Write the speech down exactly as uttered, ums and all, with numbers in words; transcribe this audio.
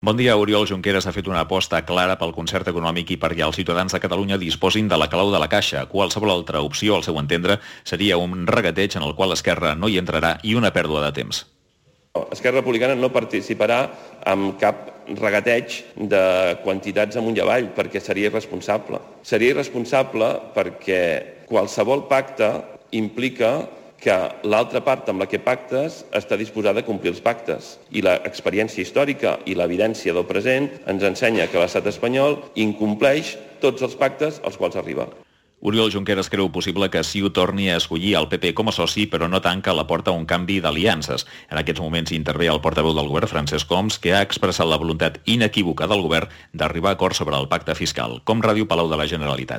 Bon dia. Oriol Junqueras ha fet una aposta clara pel concert econòmic i perquè els ciutadans de Catalunya disposin de la clau de la caixa. Qualsevol altra opció, al seu entendre, seria un regateig en el qual Esquerra no hi entrarà i una pèrdua de temps. Esquerra Republicana no participarà en cap regateig de quantitats amunt i avall, perquè seria irresponsable. Seria irresponsable perquè qualsevol pacte implica que l'altra part amb la que pactes està disposada a complir els pactes. I l'experiència històrica i l'evidència del present ens ensenya que l'estat espanyol incompleix tots els pactes als quals arriba. Oriol Junqueras creu possible que C I U torni a escollir el P P com a soci, però no tanca la porta a un canvi d'aliances. En aquests moments intervé el portaveu del govern, Francesc Homs, que ha expressat la voluntat inequívoca del govern d'arribar a acords sobre el pacte fiscal. Com Ràdio Palau de la Generalitat.